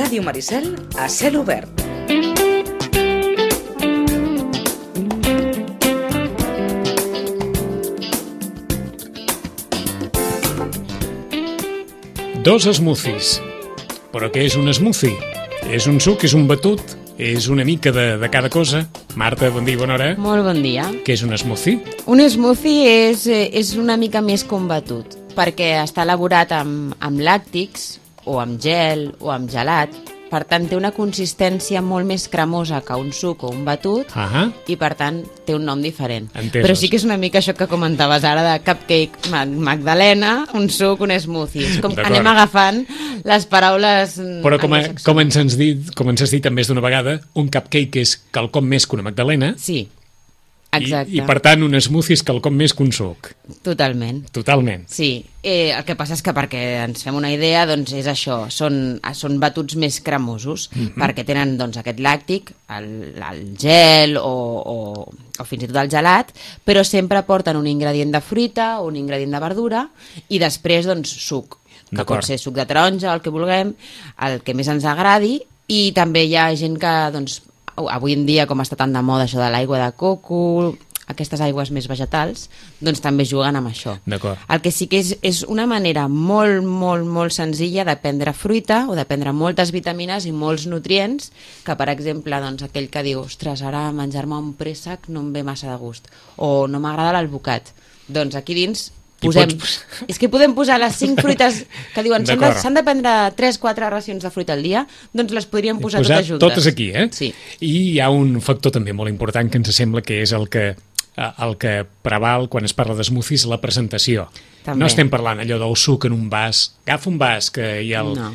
Ràdio Maricel a cel obert. Dos smoothies. Però què és un smoothie? És un suc, és un batut, és una mica de cada cosa. Marta, bon dia, bona hora. Molt bon dia. Què és un smoothie? Un smoothie és una mica més que un batut, perquè està elaborat amb làctics, o amb gel, o amb gelat. Per tant, té una consistència molt més cremosa que un suc o un batut, i per tant té un nom diferent. Entesos. Però sí que és una mica això que comentaves ara de cupcake magdalena, un suc, un smoothie. És com que anem agafant les paraules... Però com ens has dit més d'una vegada, un cupcake és quelcom més que una magdalena. Sí, exacte. I per tant, un smoothie és quelcom més que un suc. Totalment. Totalment. Sí, el que passa és que perquè ens fem una idea, doncs és això, són batuts més cremosos, perquè tenen doncs, aquest làctic, el gel o fins i tot el gelat, però sempre porten un ingredient de fruita o un ingredient de verdura i després doncs, suc, que pot ser suc de taronja, el que vulguem, el que més ens agradi, i també hi ha gent que doncs, avui en dia, com està tan de moda això de l'aigua de coco, aquestes aigües més vegetals, doncs també juguen amb això. D'acord. El que sí que és una manera molt, molt, molt senzilla de prendre fruita o de prendre moltes vitamines i molts nutrients, que per exemple, doncs, aquell que diu ostres, ara menjar-me un préssec no em ve massa de gust, o no m'agrada l'alvocat. Doncs aquí dins és que podem posar les 5 fruites que diuen s'han de prendre 3-4 racions de fruita al dia, doncs les podríem posar totes juntes. Totes aquí, eh? Sí. I hi ha un factor també molt important que ens sembla que és el que preval quan es parla d'smoothies, la presentació. També. No estem parlant allò del suc en un vas, agafa un vas que hi ha el... No.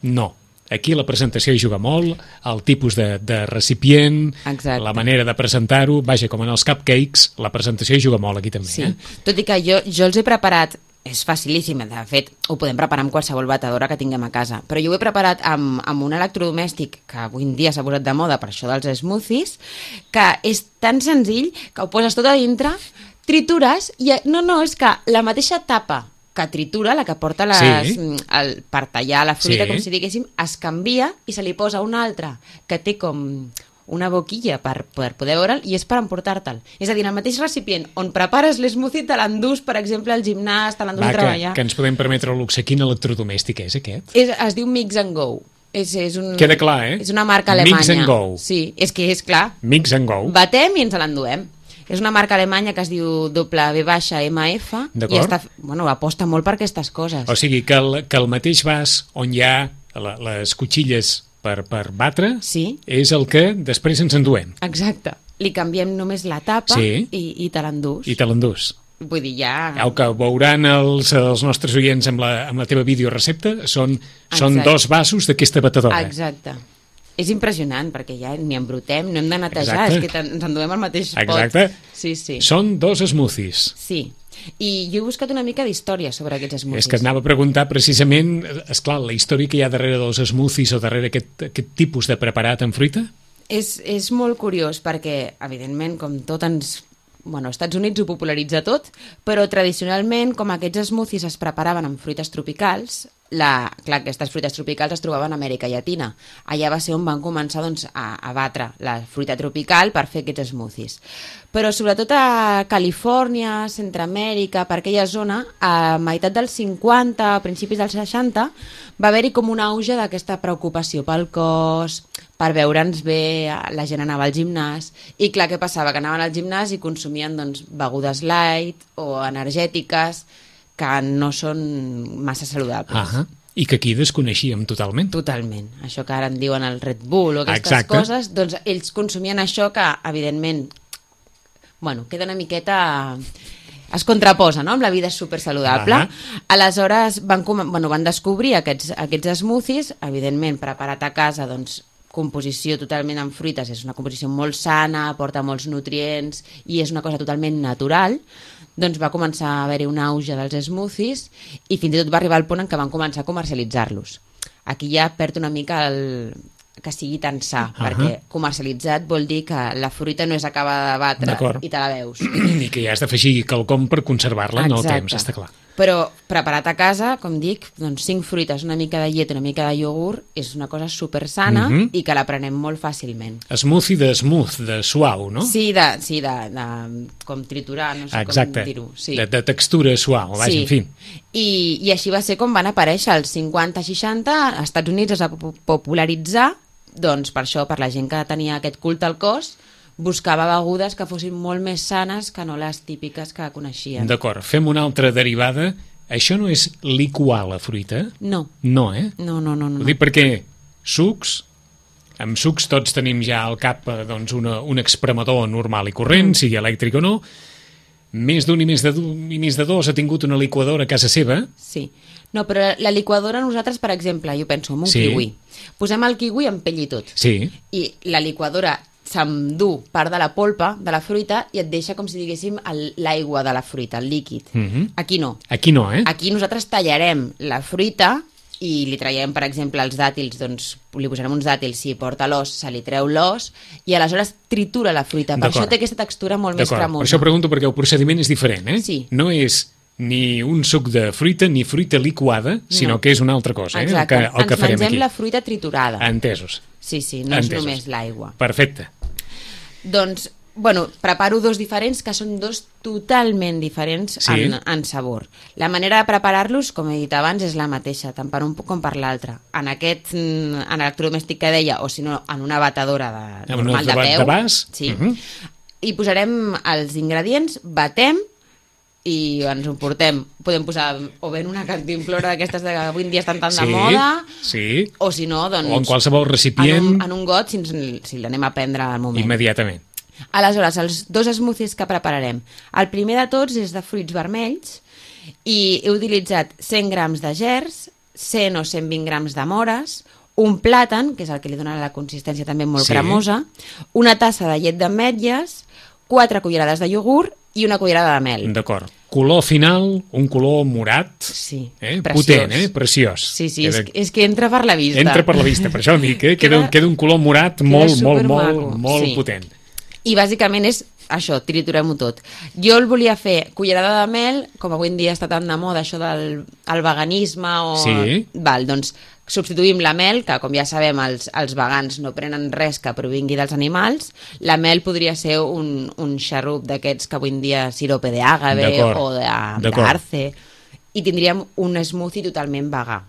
No. Aquí la presentació hi juga molt, el tipus de recipient, exacte, la manera de presentar-ho, vaja, com en els cupcakes, la presentació hi juga molt aquí també. Sí, tot i que jo els he preparat, és facilíssim, de fet, ho podem preparar amb qualsevol batedora que tinguem a casa, però jo ho he preparat amb un electrodomèstic que avui en dia s'ha posat de moda per això dels smoothies, que és tan senzill que ho poses tot a dintre, tritures, i és que la mateixa tapa que tritura, la que porta per tallar la fruita, com si diguéssim, es canvia i se li posa una altra que té com una boquilla per poder veure'l i és per emportar-te'l. És a dir, el mateix recipient on prepares l'smoothie te l'endús, per exemple, al gimnàs, te l'endús a treballar. Que ens podem permetre el luxe. Quin electrodomèstic és aquest? Es diu Mix and Go. Queda clar, És una marca alemanya. Mix and Go. Sí, és que és clar. Mix and Go. Batem i ens l'enduem. És una marca alemanya que es diu WMF i aposta molt per aquestes coses. O sigui, que el mateix vas on hi ha les cotxilles per batre és el que després ens enduem. Exacte. Li canviem només la tapa i te l'endús. I te l'endús. Vull dir, ja... El que veuran els nostres oients amb la teva videorecepta són 2 vasos d'aquesta batedora. Exacte. És impressionant, perquè ja ni embrutem, no hem de netejar, és que ens enduem al mateix pot. Exacte. Sí. Són 2 smoothies. Sí. I jo he buscat una mica d'història sobre aquests smoothies. És que et anava a preguntar precisament, esclar, la història que hi ha darrere dels smoothies o darrere aquest tipus de preparat amb fruita? És molt curiós, perquè, evidentment, com tot ens... Bueno, als Estats Units ho popularitza tot, però tradicionalment, com aquests smoothies es preparaven amb fruites tropicals, aquestes fruites tropicals es trobaven a Amèrica Llatina. Allà va ser on van començar a batre la fruita tropical per fer aquests smoothies. Però sobretot a Califòrnia, Centroamèrica, per aquella zona, a meitat dels 50, a principis dels 60, va haver-hi com un auge d'aquesta preocupació pel cos, per veure'ns bé, la gent anava al gimnàs, i clar, què passava? Que anaven al gimnàs i consumien begudes light o energètiques, que no són massa saludables. I que aquí desconeixíem totalment. Totalment. Això que ara en diuen el Red Bull o aquestes coses, doncs ells consumien això que, evidentment, queda una miqueta... es contraposa, no?, amb la vida supersaludable. Aleshores van descobrir aquests smoothies, evidentment preparat a casa, doncs, composició totalment amb fruites, és una composició molt sana, aporta molts nutrients i és una cosa totalment natural. Doncs va començar a haver-hi un auge dels smoothies i fins i tot va arribar al punt en què van començar a comercialitzar-los. Aquí ja perd una mica que sigui tan sa, perquè comercialitzat vol dir que la fruita no és acabada de batre i te la veus. I que ja has d'afegir quelcom per conservar-la en el temps, està clar. Però preparat a casa, com dic, doncs 5 fruites, una mica de llet, una mica de iogurt, és una cosa super sana i que la prenem molt fàcilment. Smoothie de smooth, de suau, no? Sí, de com triturar, no sé Exacte. com dir-ho. Sí. De textura suau, vaja, en fi. I així va ser com van aparèixer els 50-60, als Estats Units es va popularitzar, doncs per això, per la gent que tenia aquest culte al cos, buscava begudes que fossin molt més sanes que no les típiques que coneixien. D'acord, fem una altra derivada. Això no és liquar la fruita? No. No, No. Ho dic perquè sucs, amb sucs tots tenim ja al cap doncs, un expremador normal i corrent, sigui elèctric o no. Més d'un i més de dos ha tingut una liquadora a casa seva. Sí. No, però la liquadora nosaltres, per exemple, jo penso en un kiwi. Posem el kiwi amb pell i tot. Sí. I la liquadora s'endú part de la polpa de la fruita i et deixa com si diguéssim l'aigua de la fruita, el líquid. Aquí no. Aquí no, Aquí nosaltres tallarem la fruita i li traiem, per exemple, els dàtils, doncs li posarem uns dàtils, si porta l'os, se li treu l'os i aleshores tritura la fruita. Per això té aquesta textura molt més cremosa. Per això pregunto, perquè el procediment és diferent, Sí. No és ni un suc de fruita ni fruita liquada, sinó que és una altra cosa, Exacte. el que farem aquí. Ens mengem la fruita triturada. Entesos. Sí, no és només l'aigua. Perfecte. Doncs, bueno, preparo dos diferents que són dos totalment diferents en sabor. La manera de preparar-los, com he dit abans, és la mateixa, tant per un com per l'altre. En aquest electrodomèstic que deia, o si no, en una batedora normal de peu. De vas? Sí. I posarem els ingredients, batem i ens ho portem. Podem posar o bé en una cantimplora d'aquestes que avui en dia estan tan de moda, o si no, doncs... O en qualsevol recipient. En un got, si l'anem a prendre al moment. Immediatament. Aleshores, els dos smoothies que prepararem. El primer de tots és de fruits vermells i he utilitzat 100 grams de gerds, 100 o 120 grams de mores, un plàtan, que és el que li dona la consistència també molt cremosa, una tassa de llet d'ametlles, 4 cullerades de iogurt i una cullerada de mel. D'acord. Color final, un color morat, potent, preciós. Sí, és que entra per la vista. Entra per la vista, per això dic, queda un color morat molt potent. I bàsicament és això, triturem-ho tot. Jo el volia fer cullerada de mel, com avui en dia està tan de moda això del veganisme o... Sí. Doncs substituïm la mel, que com ja sabem els vegans no prenen res que provingui dels animals. La mel podria ser un xarrup d'aquests que avui en dia sirope d'àgave o d'arce, i tindríem un smoothie totalment vegà,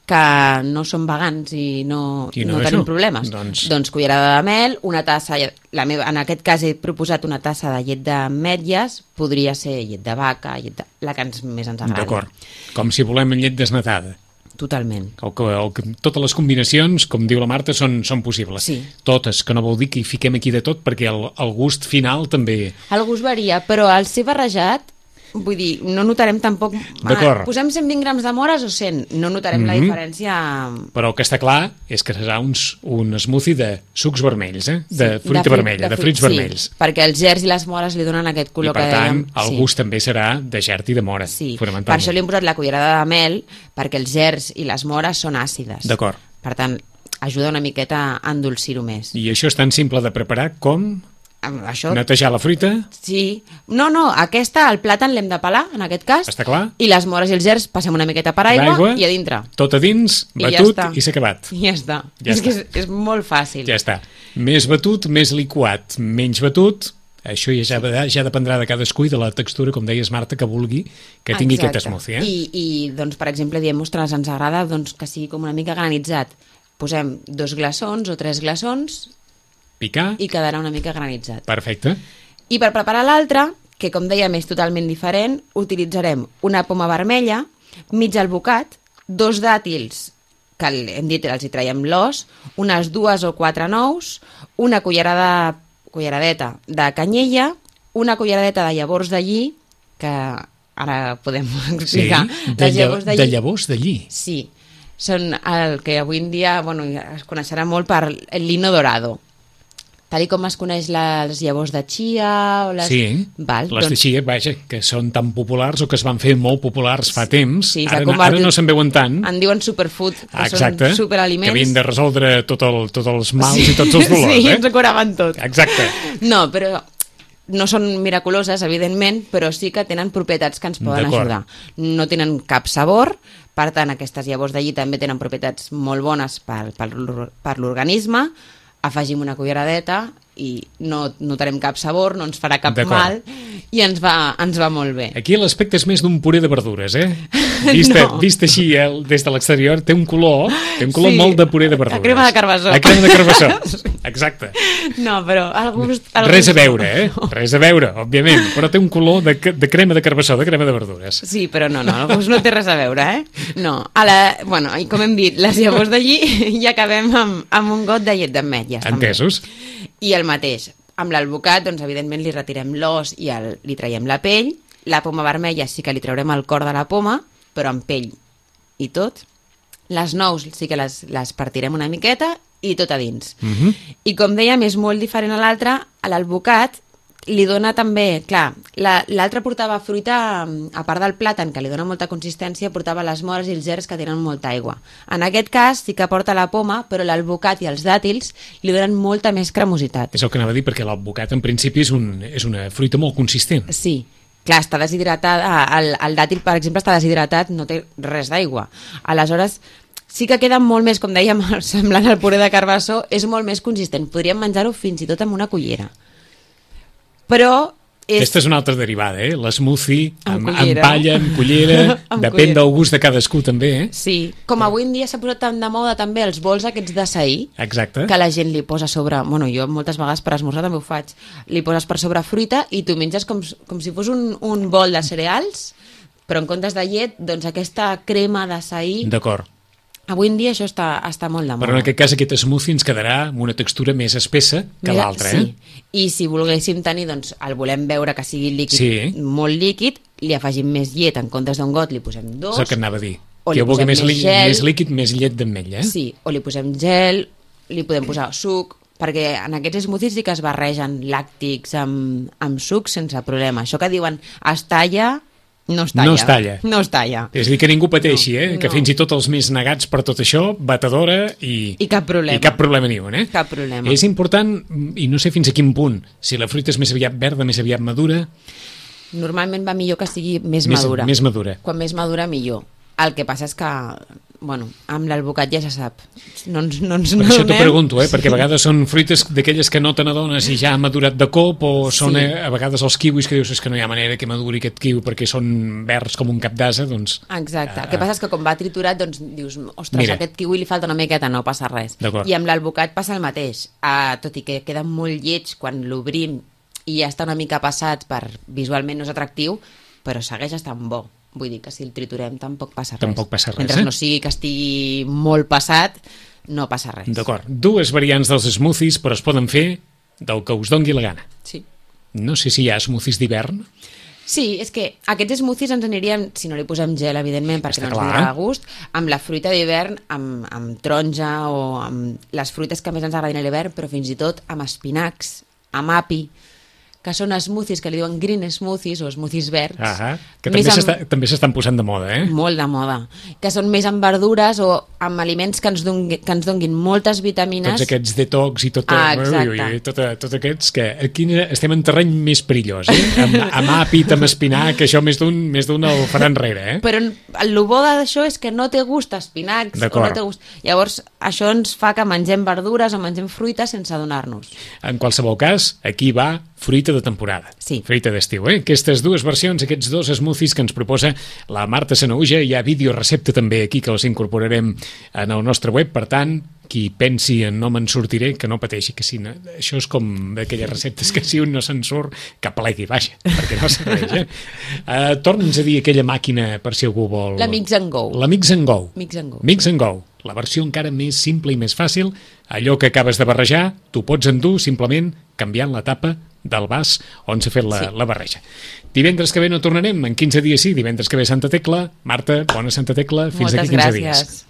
que no som vegans i no tenim problemes. Doncs cullerada de mel, una tassa, en aquest cas he proposat una tassa de llet d'ametlles, podria ser llet de vaca, la que més ens agrada. D'acord, com si volem llet desnatada. Totalment. Totes les combinacions, com diu la Marta, són possibles. Sí. Totes, que no vol dir que hi fiquem aquí de tot, perquè el gust final també... El gust varia, però al ser barrejat, vull dir, no notarem tampoc... Posem 120 grams de mores o 100, no notarem la diferència... Però el que està clar és que serà un smoothie de sucs vermells, de fruita vermella, de fruits vermells. Sí, perquè els gerds i les mores li donen aquest color que dèiem. I per tant, el gust també serà de gerd i de mora, fonamentalment. Per això li hem posat la cullerada de mel, perquè els gerds i les mores són àcides. D'acord. Per tant, ajuda una miqueta a endolcir-ho més. I això és tan simple de preparar com... Això... Netejar la fruita? Sí. No, el plàtan l'hem de pelar, en aquest cas. Està clar. I les mores i els gerds passem una miqueta per aigua i a dintre. Tot a dins, batut i s'ha acabat. I ja està. És molt fàcil. Ja està. Més batut, més liquat. Menys batut, això ja dependrà de cadascú i de la textura, com deies, Marta, que vulgui que tingui aquest smoothie. I doncs, per exemple, diem, ostres, ens agrada que sigui com una mica granitzat. Posem 2 glaçons o 3 glaçons... Picar. I quedarà una mica granitzat. Perfecte. I per preparar l'altre, que com dèiem és totalment diferent, utilitzarem una poma vermella, mig albocat, 2 dàtils, que hem dit els hi traiem l'os, unes 2 o 4 nous, una culleradeta de canyella, una culleradeta de llavors de lli, que ara podem explicar. Sí, de llavors de lli. Sí, són el que avui en dia es coneixerà molt per el lino dorado. Tal com es coneix les llavors de chia... Sí, les de chia, vaja, que són tan populars o que es van fer molt populars fa temps. Sí, ara no se'n veuen tant. En diuen superfood, que són superaliments. Que havien de resoldre tots els mals i tots els dolors. Sí, ens ho curaven tot. Exacte. No, però no són miraculoses, evidentment, però sí que tenen propietats que ens poden ajudar. No tenen cap sabor, per tant, aquestes llavors d'allí també tenen propietats molt bones per l'organisme. Afegim una culleradeta i no notarem cap sabor, no ens farà cap mal i ens va molt bé. Aquí l'aspecte és més d'un puré de verdures, eh? Vist així des de l'exterior, té un color molt de puré de verdures. La crema de carbassó. La crema de carbassó, exacte. No, però el gust... Res a veure, eh? Res a veure, òbviament, però té un color de crema de carbassó, de crema de verdures. Sí, però no, el gust no té res a veure, eh? No, i com hem dit, les llavors d'allí i acabem amb un got de llet d'ametlles. Entesos. I el mateix, amb l'alvocat, doncs evidentment li retirem l'os i li traiem la pell. La poma vermella sí que li traurem el cor de la poma, però amb pell i tot. Les nous sí que les partirem una miqueta i tot a dins. I com dèiem, és molt diferent a l'altre. A l'alvocat li dona també, clar, l'altre portava fruita, a part del plàtan, que li dona molta consistència, portava les mores i els gerds que tenen molta aigua. En aquest cas sí que porta la poma, però l'alvocat i els dàtils li donen molta més cremositat. És el que anava a dir, perquè l'alvocat en principi és una fruita molt consistent. Sí, clar, està deshidratada, el dàtil, per exemple, està deshidratat, no té res d'aigua. Aleshores, sí que queda molt més, com dèiem, semblant al puré de carbassó, és molt més consistent. Podríem menjar-ho fins i tot amb una cullera. Però... Aquesta és una altra derivada, eh? L'smoothie amb palla, amb cullera, depèn del gust de cadascú també, eh? Sí, com avui en dia s'ha posat tan de moda també els bols aquests d'açaí, que la gent li posa sobre... Bueno, jo moltes vegades per esmorzar també ho faig. Li poses per sobre fruita i tu menges com si fos un bol de cereals, però en comptes de llet, doncs aquesta crema d'açaí... D'acord. Avui en dia això està molt de moda. Però en aquest cas aquest smoothie ens quedarà amb una textura més espessa que l'altra, sí. I si volguéssim tenir, doncs, el volem veure que sigui líquid, molt líquid, li afegim més llet, en comptes d'un got li posem 2. És el que anava a dir. Que jo vulgui més líquid, més llet d'ametlla. Sí, o li posem gel, li podem posar suc, perquè en aquests smoothies sí que es barregen làctics amb suc sense problema. Això que diuen es talla... No es talla. És a dir, que ningú pateixi, que fins i tot els més negats per tot això, batedora i cap problema. I cap problema ni un, Cap problema. És important, i no sé fins a quin punt, si la fruita és més aviat verda, més aviat madura... Normalment va millor que sigui més madura. Més madura. Quan més madura, millor. El que passa és que, bueno, amb l'alvocat ja se sap. No per això t'ho pregunto, perquè a vegades són fruites d'aquelles que no te n'adones i ja ha madurat de cop, o són a vegades els kiwis que dius que no hi ha manera que maduri aquest kiwi perquè són verds com un cap d'ase, doncs... Exacte. El que passa és que com va triturat, doncs dius, ostres, a aquest kiwi li falta una miqueta, no passa res. I amb l'alvocat passa el mateix. Tot i que queda molt lleig quan l'obrim i ja està una mica passat visualment no és atractiu, però segueix estant bo. Vull dir que si el triturem tampoc passa res. Mentre no sigui que estigui molt passat, no passa res. D'acord. 2 variants dels smoothies, però es poden fer del que us dongui la gana. Sí. No sé si hi ha smoothies d'hivern. Sí, és que aquests smoothies ens anirien, si no li posem gel, evidentment, perquè no ens donarà de gust, amb la fruita d'hivern, amb taronja o amb les fruites que més ens agradin a l'hivern, però fins i tot amb espinacs, amb api, que són smoothies que li diuen green smoothies o smoothies verds. Que també s'estan posant de moda, Molt de moda. Que són més amb verdures o amb aliments que ens donguin moltes vitamines. Tots aquests detox i tot aquests que aquí estem en terreny més perillós, amb àpid, amb espinac, això més d'un el farà enrere, Però el bo d'això és que no té gust a espinacs. No té gust. Llavors, això ens fa que mengem verdures o mengem fruita sense adonar-nos. En qualsevol cas, aquí va fruita de temporada, fruita d'estiu, Aquestes 2 versions, aquests 2 smoothies que ens proposa la Marta Sanahuja, hi ha videorecepta també aquí que els incorporarem en el nostre web, per tant, qui pensi en no me'n sortiré, que no pateixi, que si no, això és com d'aquelles receptes que si un no se'n surt, que plegui, vaja, perquè no serveix, Torna'ns a dir aquella màquina per si algú vol... La Mix and Go. La Mix and Go. Mix and Go. La versió encara més simple i més fàcil, allò que acabes de barrejar, tu pots endur simplement canviant la tapa del vas on s'ha fet la barreja. Divendres que ve no tornarem, en 15 dies sí, divendres que ve Santa Tecla. Marta, bona Santa Tecla, fins d'aquí 15 dies.